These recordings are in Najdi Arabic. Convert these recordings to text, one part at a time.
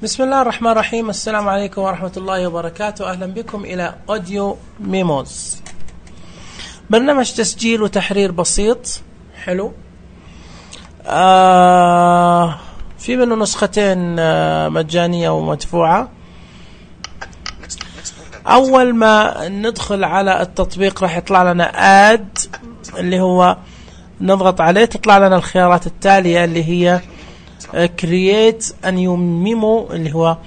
بسم الله الرحمن الرحيم. السلام عليكم ورحمة الله وبركاته. أهلا بكم إلى أوديو ميموز، برنامج تسجيل وتحرير بسيط حلو. في منه نسختين مجانية ومدفوعة. أول ما ندخل على التطبيق راح يطلع لنا آد اللي هو نضغط عليه، تطلع لنا الخيارات التالية اللي هي create a new memo اللي هو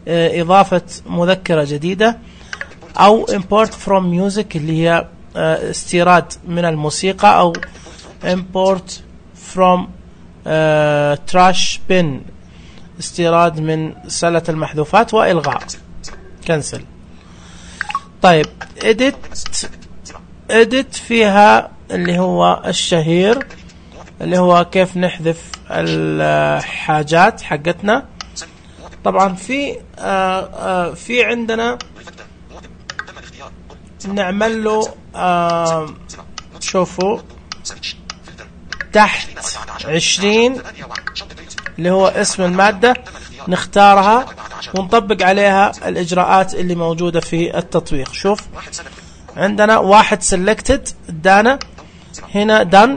إضافة مذكرة جديدة، أو import from music اللي هي استيراد من الموسيقى، أو import from trash bin استيراد من سلة المحذوفات، وإلغاء cancel. طيب edit فيها اللي هو الشهير اللي هو كيف نحذف الحاجات حقتنا. طبعا في عندنا نعمل له شوفوا تحت 20 اللي هو اسم المادة، نختارها ونطبق عليها الإجراءات اللي موجودة في التطبيق. شوف عندنا واحد selected ادانا هنا done،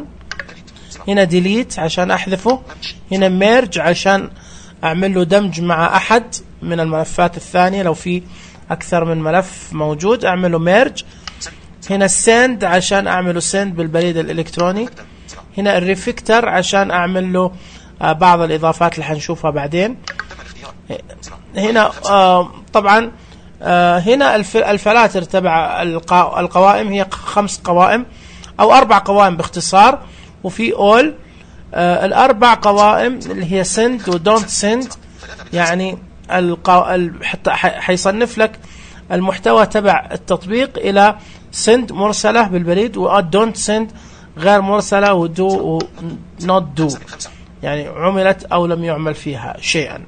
هنا delete عشان أحذفه، هنا merge عشان أعمل له دمج مع أحد من الملفات الثانية، لو في أكثر من ملف موجود أعمل له merge، هنا send عشان أعمل له send بالبريد الإلكتروني، هنا الريفكتر عشان أعمل له بعض الإضافات اللي حنشوفها بعدين. هنا طبعا هنا الفلاتر تبع القوائم هي 5 قوائم أو 4 قوائم باختصار، وفي all الأربع قوائم اللي هي send و don't send، يعني حتى حيصنف لك المحتوى تبع التطبيق إلى send مرسلة بالبريد، و don't send غير مرسلة، و do و not do يعني عملت أو لم يعمل فيها شيئا.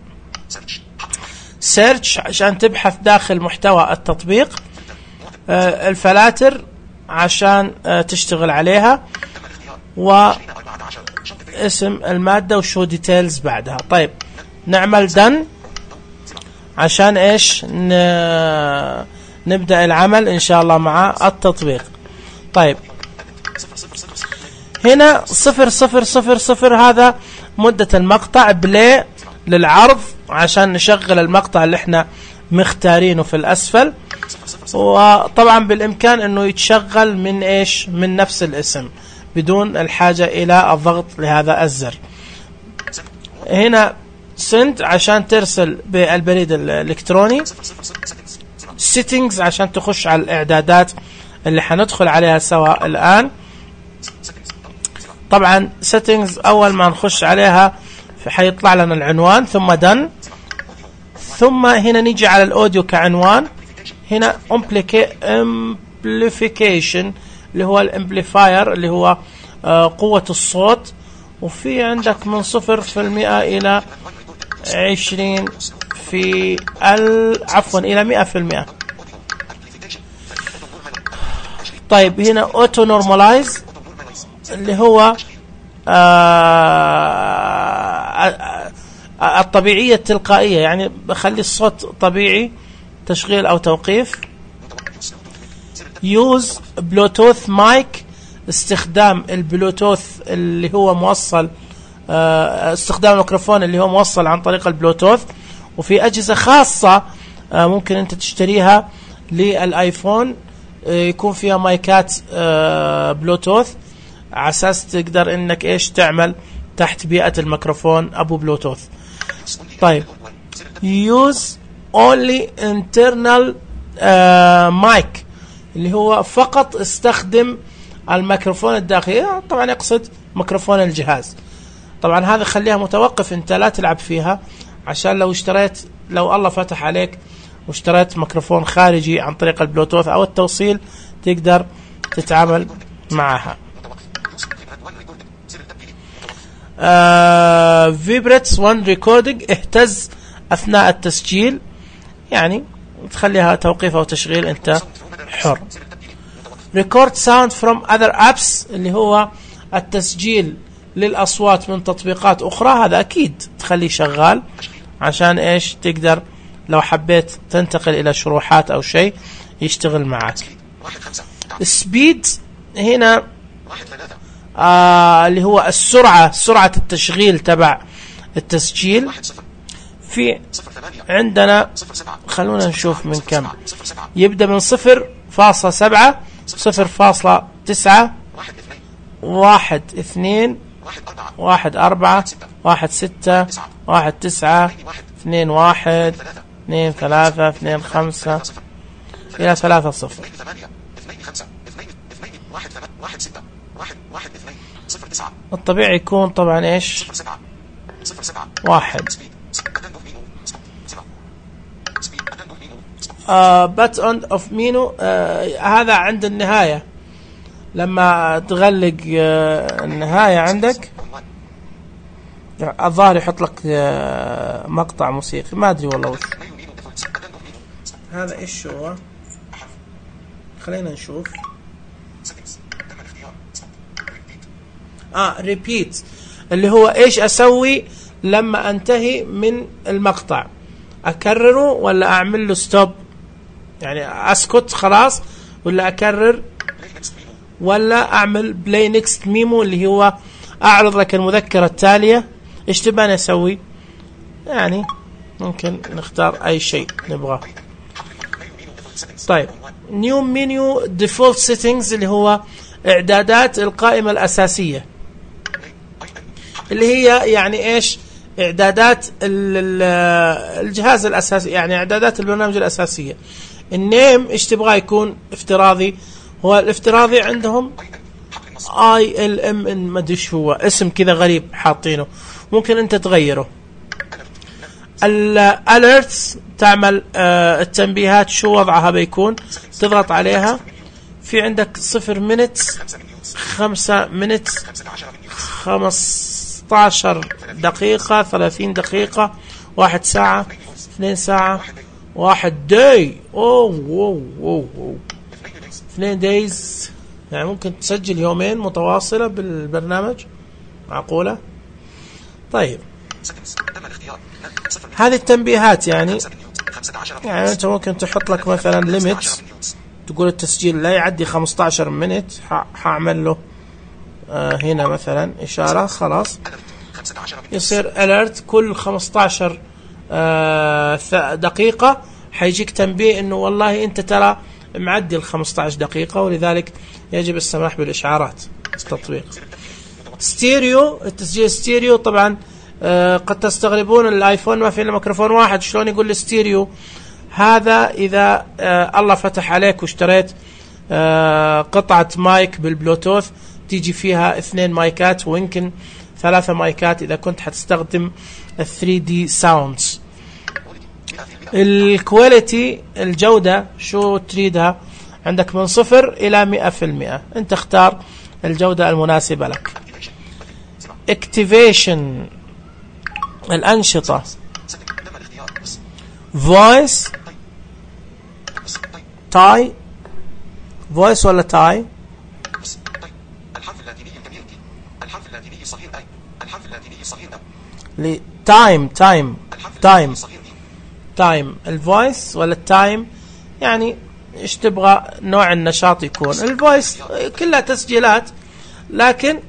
search عشان تبحث داخل محتوى التطبيق، الفلاتر عشان تشتغل عليها، واسم المادة وشو ديتيلز بعدها. طيب نعمل done عشان ايش نبدأ العمل ان شاء الله مع التطبيق. طيب هنا 000 هذا مدة المقطع، بلاي للعرض عشان نشغل المقطع اللي احنا مختارينه في الأسفل، وطبعا بالإمكان أنه يتشغل من إيش، من نفس الاسم بدون الحاجة إلى الضغط لهذا الزر. هنا send عشان ترسل بالبريد الإلكتروني، settings عشان تخش على الإعدادات اللي حندخل عليها سوا الآن. طبعا settings أول ما نخش عليها حيطلع لنا العنوان، ثم done، ثم هنا نيجي على الأوديو كعنوان، هنا amplification اللي هو الامبليفاير اللي هو قوة الصوت، وفي عندك من 0% إلى 20 إلى 100%. طيب هنا auto normalize اللي هو الطبيعية التلقائية، يعني بخلي الصوت طبيعي تشغيل أو توقيف. use bluetooth mic استخدام البلوتوث اللي هو موصل، استخدام الميكروفون اللي هو موصل عن طريق البلوتوث، وفي أجهزة خاصة ممكن أنت تشتريها للآيفون يكون فيها مايكات بلوتوث على أساس تقدر إنك إيش تعمل تحت بيئة الميكروفون أبو بلوتوث. طيب use only internal mic اللي هو فقط استخدم الميكروفون الداخلي، طبعا يقصد ميكروفون الجهاز. طبعا هذا خليها متوقف، انت لا تلعب فيها، عشان لو الله فتح عليك واشتريت ميكروفون خارجي عن طريق البلوتوث او التوصيل تقدر تتعامل معها. vibrates when recording اهتز أثناء التسجيل، يعني تخليها توقيف أو تشغيل أنت حر. record sound from other apps اللي هو التسجيل للأصوات من تطبيقات أخرى، هذا أكيد تخليه شغال عشان ايش تقدر لو حبيت تنتقل الى شروحات او شيء يشتغل معك. السبيد هنا اللي هو سرعة التشغيل تبع التسجيل. في عندنا خلونا نشوف من كم يبدأ، من 0.7 0.9 1 2 1 4 1 6 1 9 2 1 2 3 2 5 إلى 3 0. الطبيعي يكون طبعا ايش 1. but on of menu هذا عند النهاية لما تغلق النهاية عندك الظاهر يحط لك مقطع موسيقي، ما أدري والله وش هذا. إيش هو؟ خلينا نشوف. repeat اللي هو إيش أسوي لما أنتهي من المقطع، أكرره ولا أعمل له ستوب، يعني أسكت خلاص، ولا أكرر، ولا أعمل بلاي نيكست ميمو اللي هو أعرض لك المذكرة التالية. إيش تبغى أسوي؟ يعني ممكن نختار أي شيء نبغاه. طيب نيو مينيو ديفولت سيتنجز اللي هو إعدادات القائمة الأساسية، اللي هي يعني إيش إعدادات الجهاز الأساسي، يعني إعدادات البرنامج الأساسية. النيم إيش تبغى يكون افتراضي؟ هو الافتراضي عندهم ILM ما ادري ايش هو، اسم كذا غريب حاطينه، ممكن انت تغيره. الاليرتس تعمل التنبيهات شو وضعها بيكون، تضغط عليها. في عندك 0 minutes 5 minutes 15 دقيقة 30 دقيقة 1 ساعة 2 ساعة 1 داي 2 days، يعني ممكن تسجل يومين متواصلة بالبرنامج، معقولة؟ طيب هذه التنبيهات يعني أنت ممكن تحط لك مثلا ليميت، تقول التسجيل لا يعدي 15 منت، حاعمل له هنا مثلا إشارة، خلاص يصير alert كل 15 دقيقة حيجيك تنبيه إنه والله أنت ترى معدي 15 دقيقة، ولذلك يجب السماح بالإشعارات. التطبيق ستيريو، التسجيل ستيريو طبعا قد تستغربون الايفون ما فيه الا ميكروفون واحد، شلون يقول ستيريو؟ هذا اذا الله فتح عليك واشتريت قطعة مايك بالبلوتوث تيجي فيها 2 مايكات ويمكن 3 مايكات اذا كنت حتستخدم 3D sounds. الكواليتي الجودة شو تريدها؟ عندك من 0 إلى 100%، انت اختار الجودة المناسبة لك. Activation الأنشطة، voice تاي، voice ولا تاي؟ تايم الفويس ولا التايم، يعني ايش تبغى نوع النشاط يكون. الفويس كلها تسجيلات، لكن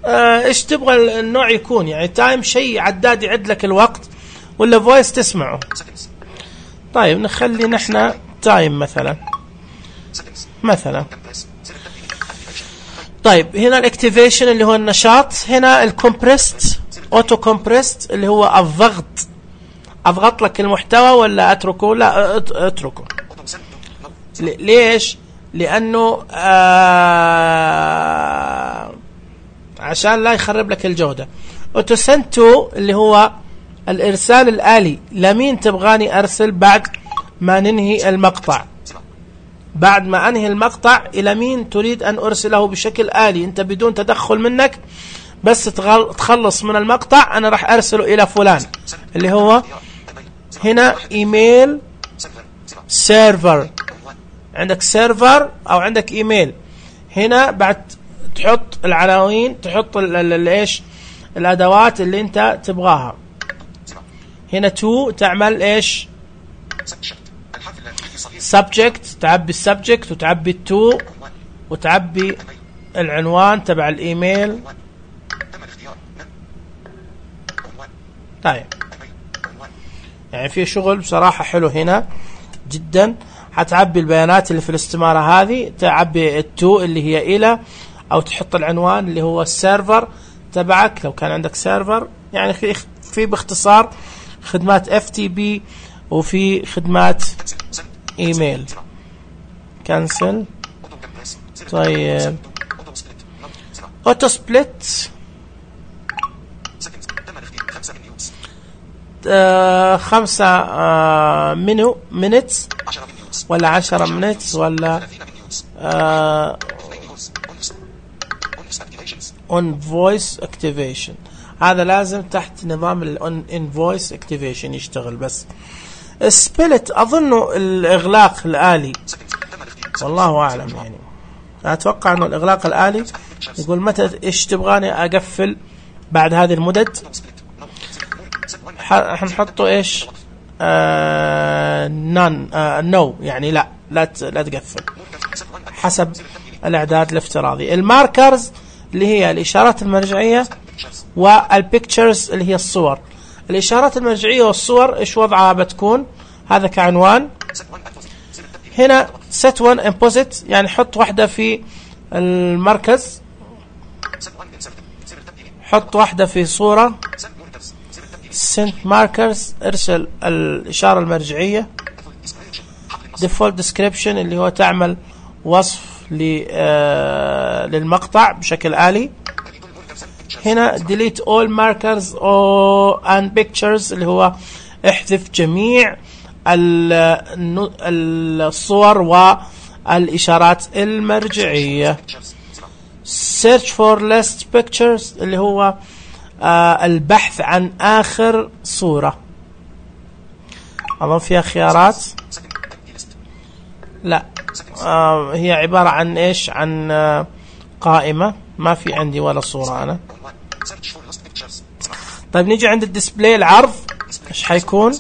ايش تبغى النوع يكون، يعني تايم شيء عداد يعد لك الوقت، ولا فويس تسمعه. طيب نخلي نحن تايم مثلا. طيب هنا الاكتيفيشن اللي هو النشاط، هنا الكومبريست اوتو كومبريست اللي هو الضغط، اضغط لك المحتوى ولا اتركه؟ لا اتركه. ليش؟ لانه عشان لا يخرب لك الجودة. اوتو سنت تو اللي هو الارسال الآلي، لمين تبغاني ارسل بعد ما ننهي المقطع، بعد ما انهي المقطع الى مين تريد ان ارسله بشكل آلي، انت بدون تدخل منك، بس تخلص من المقطع انا راح ارسله الى فلان، اللي هو هنا ايميل سيرفر. عندك سيرفر او عندك ايميل، هنا بعد تحط العناوين، تحط ايش الادوات اللي انت تبغاها. هنا to تعمل ايش؟ subject، تعبي السبجكت وتعبي to وتعبي العنوان تبع الايميل. طيب يعني في شغل بصراحة حلو هنا جدا. هتعبي البيانات اللي في الاستمارة هذه، تعبي التو اللي هي إلى، أو تحط العنوان اللي هو السيرفر تبعك لو كان عندك سيرفر. يعني في باختصار خدمات FTP وفي خدمات إيميل. كانسل. طيب أوتو سبليت 5 minutes ولا 10 minutes ولا on voice activation. هذا لازم تحت نظام ال on voice activation يشتغل. بس split أظنه الإغلاق الآلي، والله أعلم. يعني أتوقع أنه الإغلاق الآلي يقول متى إيش تبغاني أقفل بعد هذه المدد. حنحطه إيش none no، يعني لا تقفل حسب الإعداد الافتراضي. الماركرز اللي هي الإشارات المرجعية والبيكتشرز اللي هي الصور. الإشارات المرجعية والصور إيش وضعها بتكون؟ هذا كعنوان. هنا set one in posit، يعني حط واحدة في المركز، حط واحدة في صورة. send markers، ارسل الإشارة المرجعية. default description اللي هو تعمل وصف للمقطع بشكل آلي. هنا delete all markers and pictures اللي هو احذف جميع الصور والإشارات المرجعية. search for last pictures اللي هو البحث عن آخر صورة. أظن فيها خيارات. لا هي عبارة عن إيش؟ عن قائمة، ما في عندي ولا صورة أنا. طيب نيجي عند الديسبلاي العرض، إيش حيكون؟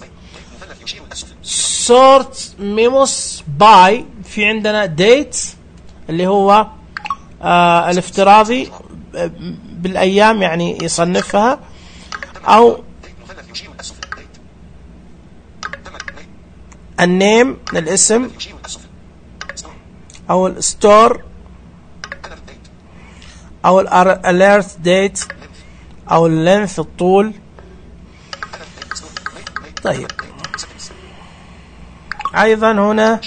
sort memos by، في عندنا date اللي هو الافتراضي بالأيام يعني يصنفها، أو النيم الاسم، أو الستور، أو الاليرت ديت، أو اللينث الطول. طيب أيضا هنا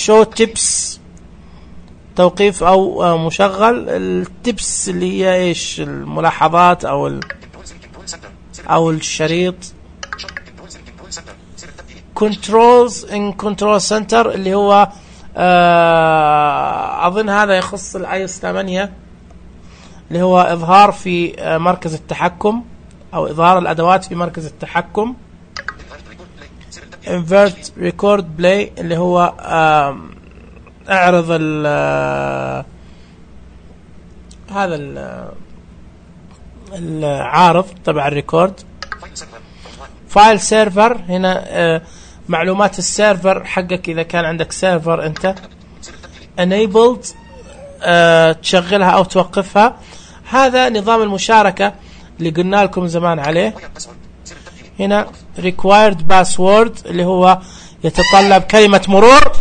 show tips، توقيف أو مشغل التبس اللي هي إيش؟ الملاحظات أو الشريط. controls in control center اللي هو أظن هذا يخص iOS 8 اللي هو إظهار في مركز التحكم، أو إظهار الأدوات في مركز التحكم. invert record play اللي هو اعرض هذا العارض تبع الريكورد. فايل سيرفر، هنا معلومات السيرفر حقك إذا كان عندك سيرفر أنت. enabled تشغلها أو توقفها. هذا نظام المشاركة اللي قلنا لكم زمان عليه. هنا required password اللي هو يتطلب كلمة مرور.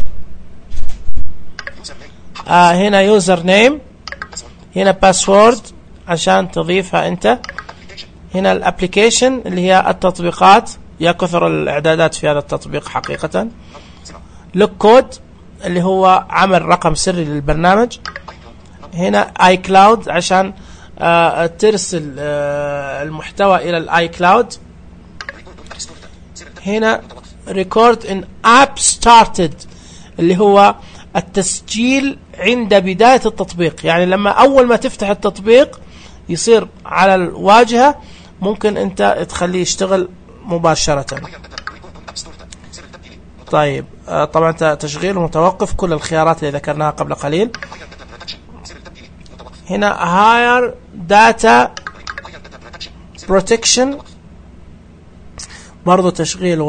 هنا يوزر نيم، هنا باسورد عشان تضيفها أنت. هنا الابليكيشن اللي هي التطبيقات، يا كثر الإعدادات في هذا التطبيق حقيقة. لوك كود اللي هو عمل رقم سري للبرنامج. هنا اي كلاود عشان ترسل المحتوى إلى الاي كلاود. هنا ريكورد ان اب ستارتد اللي هو التسجيل عند بداية التطبيق، يعني لما أول ما تفتح التطبيق يصير على الواجهة ممكن أنت تخليه يشتغل مباشرة. طيب طبعا تشغيل ومتوقف، كل الخيارات اللي ذكرناها قبل قليل. هنا higher data protection برضو تشغيل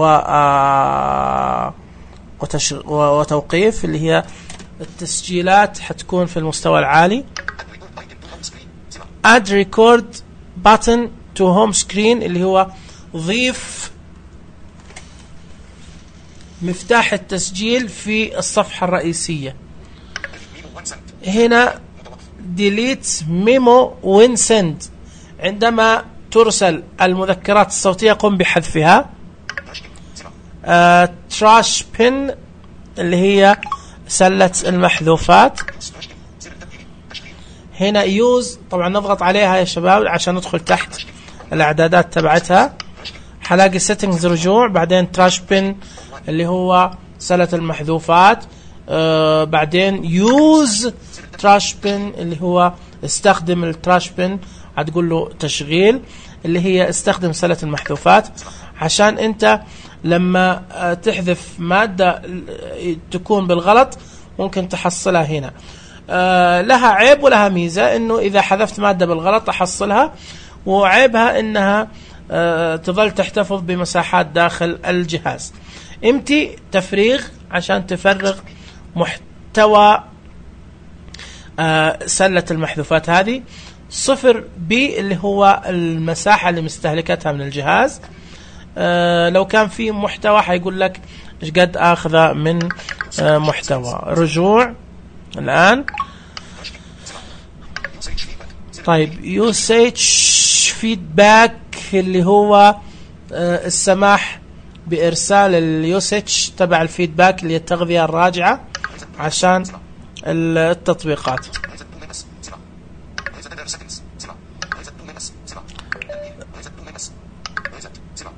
وتوقيف، اللي هي التسجيلات حتكون في المستوى العالي. add record button to home screen اللي هو ضيف مفتاح التسجيل في الصفحة الرئيسية. هنا delete memo when send، عندما ترسل المذكرات الصوتية قم بحذفها. trash pin اللي هي سلة المحذوفات. هنا use طبعا نضغط عليها يا شباب عشان ندخل تحت الاعدادات تبعتها. حلاقي settings رجوع، بعدين trash pin اللي هو سلة المحذوفات، بعدين use trash pin اللي هو استخدم التراش بن، هتقول له تشغيل اللي هي استخدم سلة المحذوفات، عشان انت لما تحذف مادة تكون بالغلط ممكن تحصلها هنا. لها عيب ولها ميزة، انه اذا حذفت مادة بالغلط احصلها، وعيبها انها تظل تحتفظ بمساحات داخل الجهاز. امتي تفريغ عشان تفرغ محتوى سلة المحذوفات هذه. 0 بي اللي هو المساحة اللي مستهلكتها من الجهاز. لو كان في محتوى حيقول لك ايش قد اخذه من محتوى. رجوع الان. طيب usage feedback اللي هو السماح بارسال اليوسج تبع الفيدباك اللي هي التغذية الراجعة عشان التطبيقات.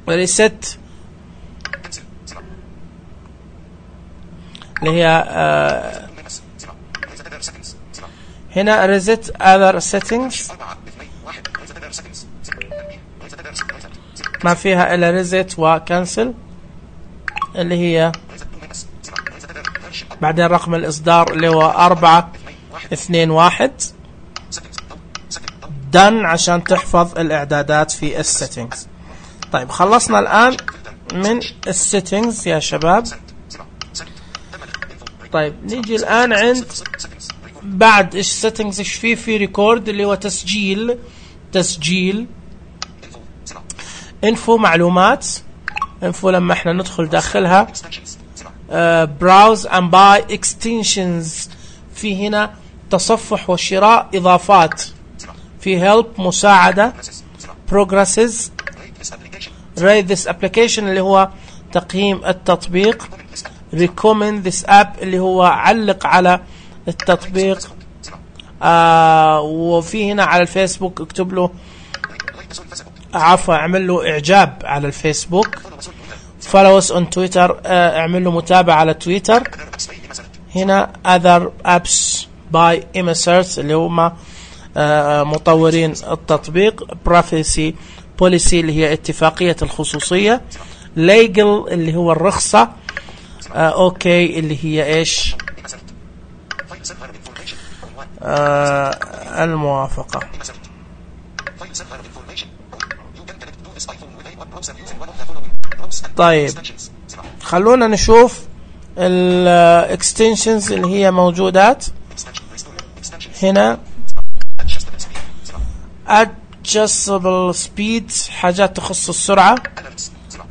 ريست اللي هي هنا ريست other settings ما فيها الا ريست وكنسل اللي هي بعدين رقم الإصدار اللي هو 421 done عشان تحفظ الإعدادات في السيتنجز. طيب خلصنا الآن من السيتنجز يا شباب. طيب نيجي الآن عند بعد إيش سيتنجز إيش في ريكورد اللي هو تسجيل انفو معلومات. انفو لما احنا ندخل داخلها browse and buy extensions، في هنا تصفح وشراء إضافات، في help مساعدة، progresses، rate this application اللي هو تقييم التطبيق، recommend this app اللي هو علق على التطبيق، وفي هنا على الفيسبوك اكتب له اعمل له اعجاب على الفيسبوك، follow us on Twitter اعمل له متابعة على تويتر. هنا other apps by Immersert اللي هم مطورين التطبيق، privacy policy اللي هي اتفاقية الخصوصية، legal اللي هو الرخصة، okay اللي هي ايش الموافقة. طيب خلونا نشوف الاكستنشنز اللي هي موجودات هنا. adjustable speed حاجات تخص السرعة،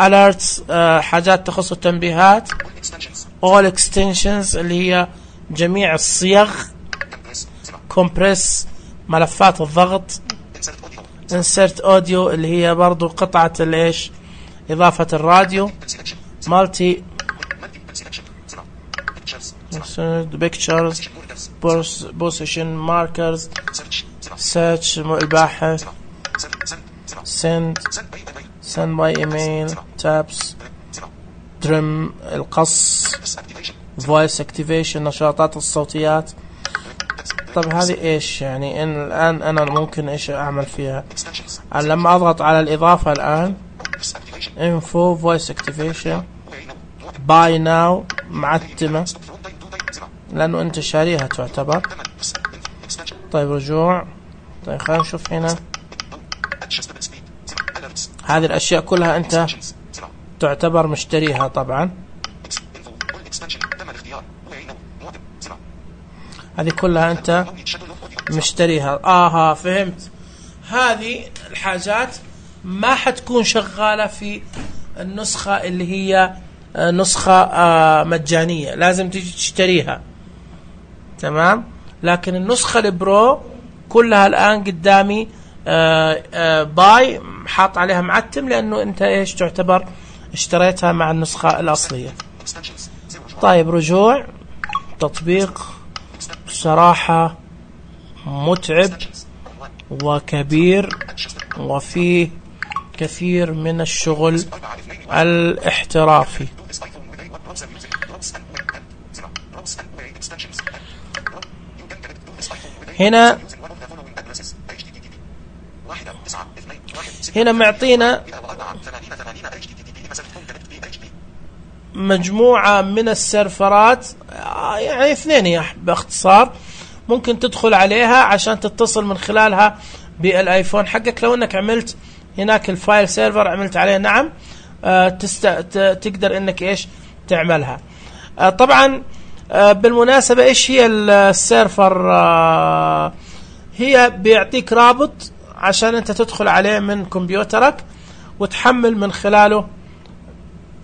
alerts حاجات تخص التنبيهات، all extensions اللي هي جميع الصيغ، compress ملفات الضغط، insert audio اللي هي برضو قطعة الايش إضافة الراديو، multi pictures position markers، search الباحث، send by email، tabs، trim القص، voice activation نشاطات الصوتيات. طب هذه ايش يعني الان انا ممكن ايش اعمل فيها؟ لما اضغط على الاضافة الان info voice activation buy now معتمة لانه انت شاريها تعتبر. طيب رجوع. طيب خلينا نشوف هنا هذه الأشياء كلها أنت تعتبر مشتريها طبعا. هذه كلها أنت مشتريها. فهمت. هذه الحاجات ما حتكون شغالة في النسخة اللي هي نسخة مجانية، لازم تيجي تشتريها. تمام. لكن النسخة البرو كلها الآن قدامي باي، حاط عليها معتم، لأنه أنت إيش تعتبر اشتريتها مع النسخة الأصلية. طيب، رجوع تطبيق صراحة متعب وكبير وفيه كثير من الشغل الاحترافي. هنا معطينا مجموعة من السيرفرات، يعني 2 باختصار، ممكن تدخل عليها عشان تتصل من خلالها بالايفون حقك. لو انك عملت هناك الفايل سيرفر، عملت عليه نعم، تقدر انك ايش تعملها. طبعا بالمناسبة ايش هي السيرفر؟ هي بيعطيك رابط عشان انت تدخل عليه من كمبيوترك وتحمل من خلاله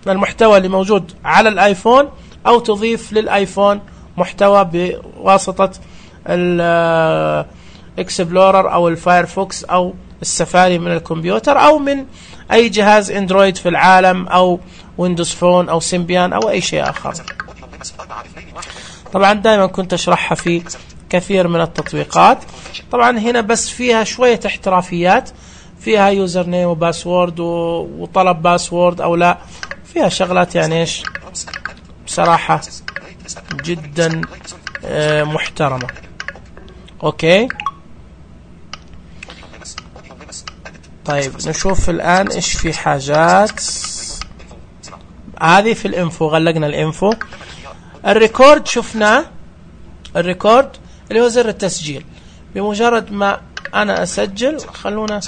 المحتوى اللي موجود على الايفون، او تضيف للايفون محتوى بواسطة الاكسبلورر او الفايرفوكس او السفاري من الكمبيوتر، او من اي جهاز اندرويد في العالم، او ويندوز فون او سيمبيان او اي شيء اخر. طبعا دائما كنت اشرحها في كثير من التطبيقات. طبعا هنا بس فيها شوية احترافيات، فيها يوزر نيم وباسورد وطلب باسورد او لا، فيها شغلات يعني ايش بصراحة جدا محترمة. اوكي. طيب نشوف الان ايش في حاجات. هذه في الانفو، غلقنا الانفو. الريكورد شفناه، الريكورد اللي هو زر التسجيل. بمجرد ما انا اسجل، خلونا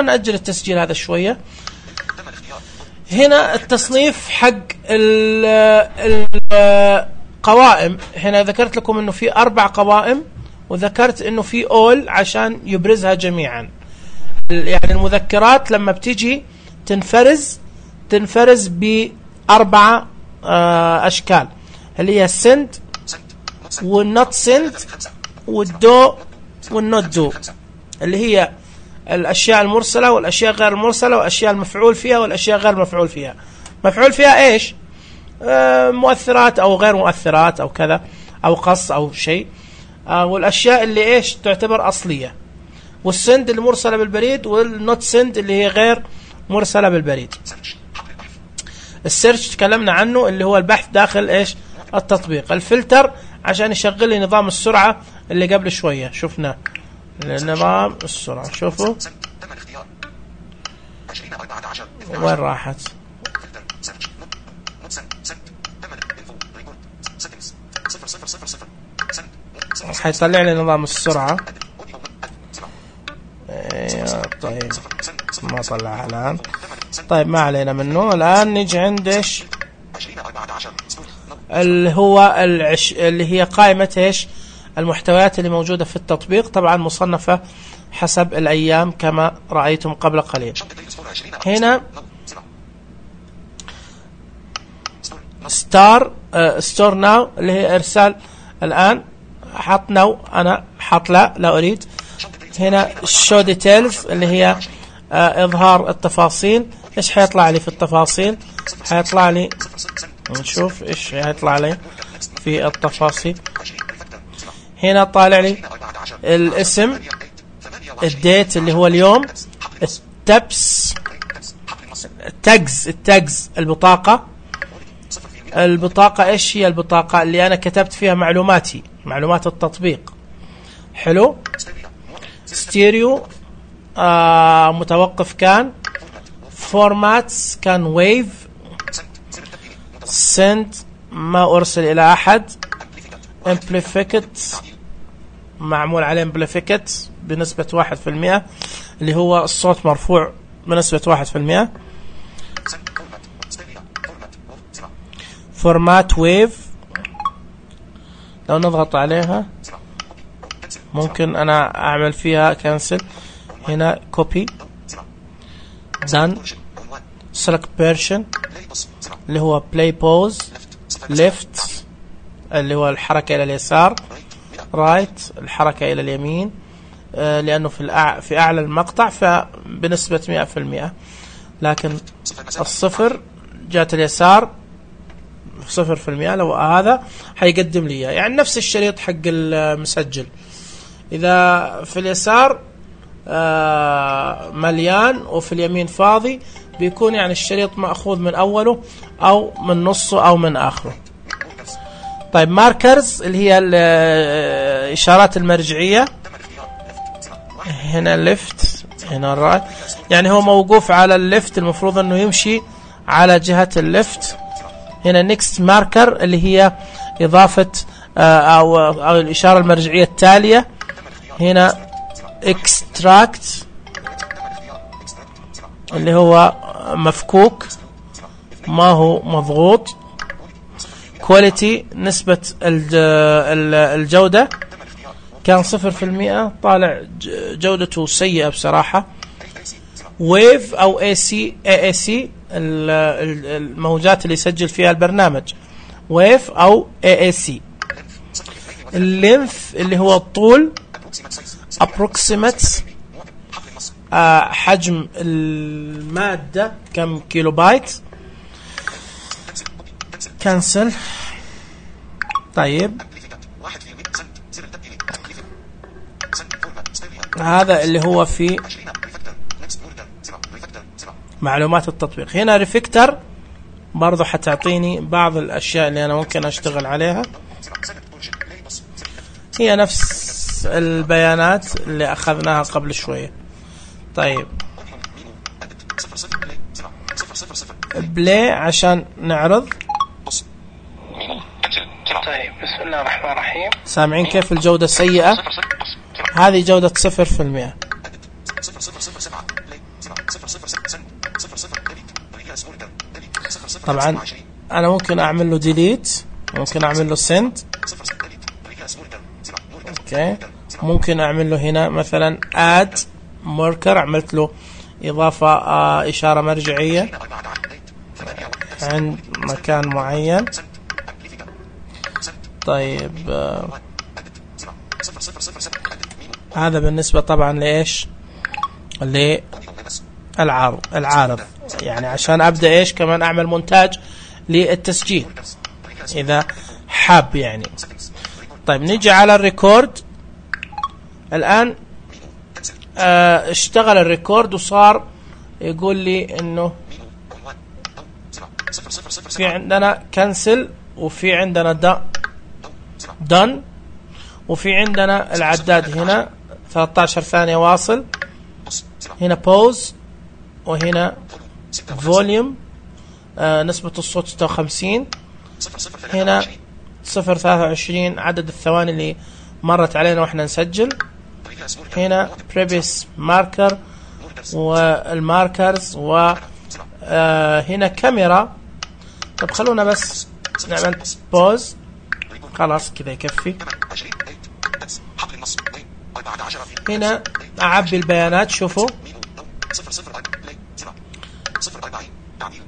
نأجل التسجيل هذا شوية. هنا التصنيف حق القوائم. هنا ذكرت لكم انه في 4 قوائم، وذكرت انه في اول عشان يبرزها جميعا. يعني المذكرات لما بتيجي تنفرز ب4 اشكال، اللي هي السند والنوت سند والدو والنوت دو، اللي هي الاشياء المرسله والاشياء غير المرسله والاشياء المفعول فيها والاشياء غير مفعول فيها. مفعول فيها ايش؟ مؤثرات او غير مؤثرات او كذا، او قص او شيء. والاشياء اللي ايش تعتبر اصليه. والسند اللي مرسله بالبريد، والنوت سند اللي هي غير مرسله بالبريد. السيرش تكلمنا عنه، اللي هو البحث داخل ايش التطبيق. الفلتر عشان يشغل لي نظام السرعه اللي قبل شويه شفنا نظام السرعه. شوفوا وين راحت. حيطلع لي نظام السرعه. طيب ما طلعها الان. طيب ما علينا منه. الان نيجي عند ايش اللي هو اللي هي قائمة ايش المحتويات اللي موجودة في التطبيق. طبعا مصنفة حسب الايام كما رأيتم قبل قليل. هنا ستور ناو اللي هي ارسال الان. حط ناو، انا حط لا اريد. هنا شو ديتيلز اللي هي اظهار التفاصيل. ايش حيطلع لي في التفاصيل؟ حيطلع لي، نشوف ايش حيطلع لي في التفاصيل. هنا طالع لي الاسم، الديت اللي هو اليوم، التبس، التاجز، البطاقة ايش هي البطاقة اللي انا كتبت فيها معلوماتي، معلومات التطبيق. حلو. ستيريو متوقف كان. فورماتس كان ويف. سند ما ارسل الى احد. امبليفيكت معمول عليه امبليفيكت بنسبة 1%، اللي هو الصوت مرفوع بنسبة 1%. فورمات ويف لو نضغط عليها ممكن أنا أعمل فيها كنسل. هنا كوبي done select version اللي هو play pause left اللي هو الحركة إلى اليسار right الحركة إلى اليمين لأنه في أعلى المقطع فبنسبة 100%. لكن الصفر جات اليسار 0%. لو هذا حيقدم لي يعني نفس الشريط حق المسجل. إذا في اليسار مليان وفي اليمين فاضي بيكون يعني الشريط مأخوذ من أوله أو من نصه أو من آخره. طيب ماركرز اللي هي الإشارات المرجعية. هنا ليفت هنا رايت يعني هو موقوف على الليفت المفروض أنه يمشي على جهة الليفت. هنا نيكست ماركر اللي هي إضافة أو الإشارة المرجعية التالية. هنا اكستراكت اللي هو مفكوك ما هو مضغوط. كواليتي نسبة الجودة كان 0%، طالع جودته سيئة بصراحة. ويف أو AAC الموجات اللي يسجل فيها البرنامج ويف أو AAC. اللينث اللي هو الطول approximate حجم المادة كم كيلو بايت. كنسل. طيب هذا اللي هو في معلومات التطبيق. هنا ريفكتر برضو حتعطيني بعض الأشياء اللي أنا ممكن أشتغل عليها. هي نفس البيانات اللي أخذناها قبل شوية. طيب بلاي عشان نعرض. طيب بسم الله الرحمن الرحيم. سامعين كيف الجودة سيئة؟ هذه جودة 0%. طبعا أنا ممكن أعمل له ديليت، ممكن أعمل له سند. أوكي ممكن أعمل له هنا مثلا add marker، عملت له إضافة إشارة مرجعية عند مكان معين. طيب هذا بالنسبة طبعا لإيش؟ العارض يعني عشان أبدأ إيش كمان أعمل مونتاج للتسجيل إذا حاب يعني. طيب نيجي على الريكورد. الآن اشتغل الريكورد وصار يقول لي إنه في عندنا كنسل وفي عندنا done وفي عندنا العداد هنا 13 ثانية واصل. هنا pause وهنا volume نسبة الصوت 56. هنا 0.23 عدد الثواني اللي مرت علينا واحنا نسجل. هنا previous marker والماركرز وهنا كاميرا. طب خلونا بس نعمل pause خلاص كذا يكفي. هنا أعبي البيانات.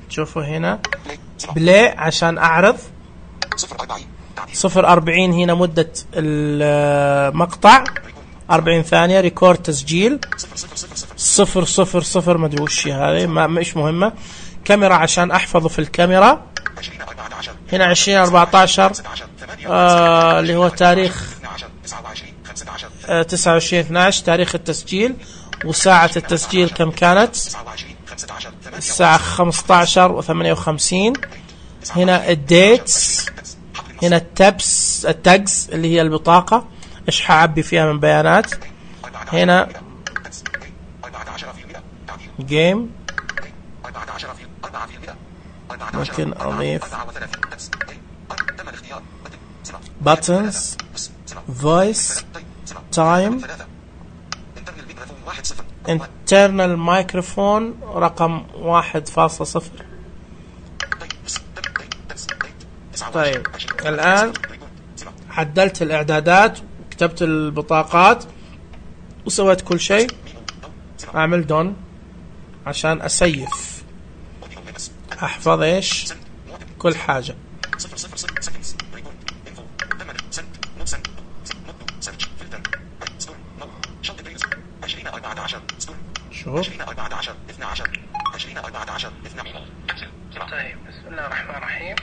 شوفوا هنا بلاي عشان أعرض 0.40 هنا مدة المقطع 40 ثانية. ريكورد تسجيل 000 ما ادري وش هذه مش مهمة. كاميرا عشان أحفظه في الكاميرا. هنا 2014 اللي هو تاريخ 29/12 تاريخ التسجيل. وساعة التسجيل كم كانت؟ الساعة 15:58. هنا الديتس. هنا التاجز اللي هي البطاقة ايش حعبي فيها من بيانات. هنا جيم ممكن أضيف buttons voice time internal microphone رقم 1.0. طيب الآن عدلت الإعدادات، كتبت البطاقات وسويت كل شيء. أعمل دون عشان أسيف، أحفظ إيش كل حاجة. شوف. طيب بسم الله الرحمن الرحيم.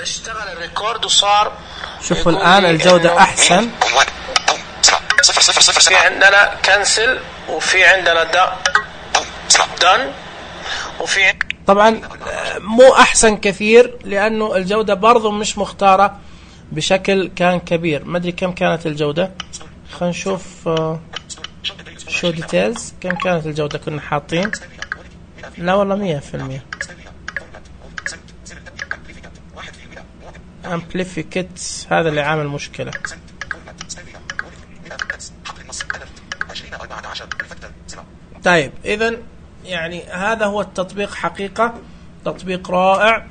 اشتغل الريكورد وصار. شوفوا الآن الجودة أحسن. في عندنا كنسل وفي عندنا دن وفي طبعا مو أحسن كثير لأنه الجودة برضو مش مختارة بشكل كان كبير. ما أدري كم كانت الجودة، خلينا نشوف شو ديتيلز. كم كانت الجودة كنا حاطين؟ لا والله 100%. امبليفيكت هذا اللي عامل مشكلة. طيب إذن يعني هذا هو التطبيق، حقيقة تطبيق رائع،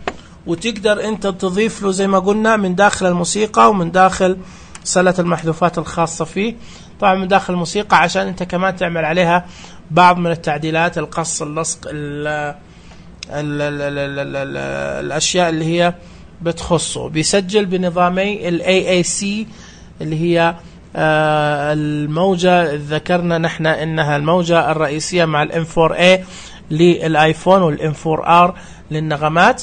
وتقدر أنت تضيف له زي ما قلنا من داخل الموسيقى ومن داخل سلة المحذوفات الخاصة فيه. طبعا من داخل الموسيقى عشان أنت كمان تعمل عليها بعض من التعديلات، القص، اللصق، الأشياء اللي هي بتخصه. بيسجل بنظامي ال AAC اللي هي الموجة، ذكرنا نحن إنها الموجة الرئيسية مع ال M4A للآيفون وال M4R للنغمات،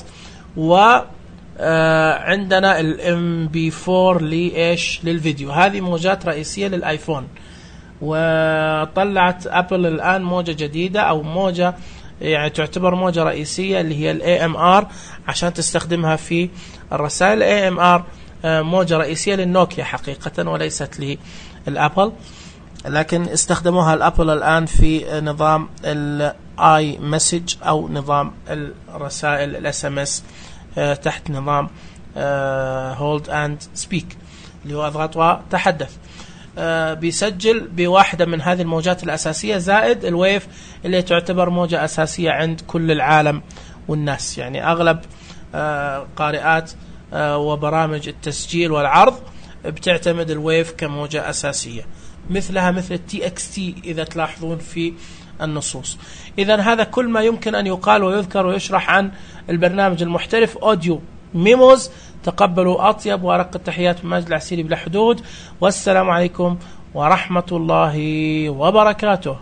وعندنا ال MB4 لإيش للفيديو. هذه موجات رئيسية للآيفون. وطلعت أبل الآن موجة جديدة أو موجة يعني تعتبر موجة رئيسية اللي هي ال AMR عشان تستخدمها في الرسائل. AMR موجة رئيسية للنوكيا حقيقة وليست للأبل، لكن استخدموها الأبل الآن في نظام الاي مسج أو نظام الرسائل الSMS تحت نظام hold and speak اللي هو اضغط وتحدث. بيسجل بواحدة من هذه الموجات الأساسية زائد الويف اللي تعتبر موجة أساسية عند كل العالم والناس. يعني أغلب قارئات وبرامج التسجيل والعرض بتعتمد الويف كموجة أساسية، مثلها مثل TXT إذا تلاحظون في النصوص. إذن هذا كل ما يمكن أن يقال ويذكر ويشرح عن البرنامج المحترف أوديو ميموز. تقبلوا أطيب وأرق التحيات من ماجد العسيري بلا حدود، والسلام عليكم ورحمة الله وبركاته.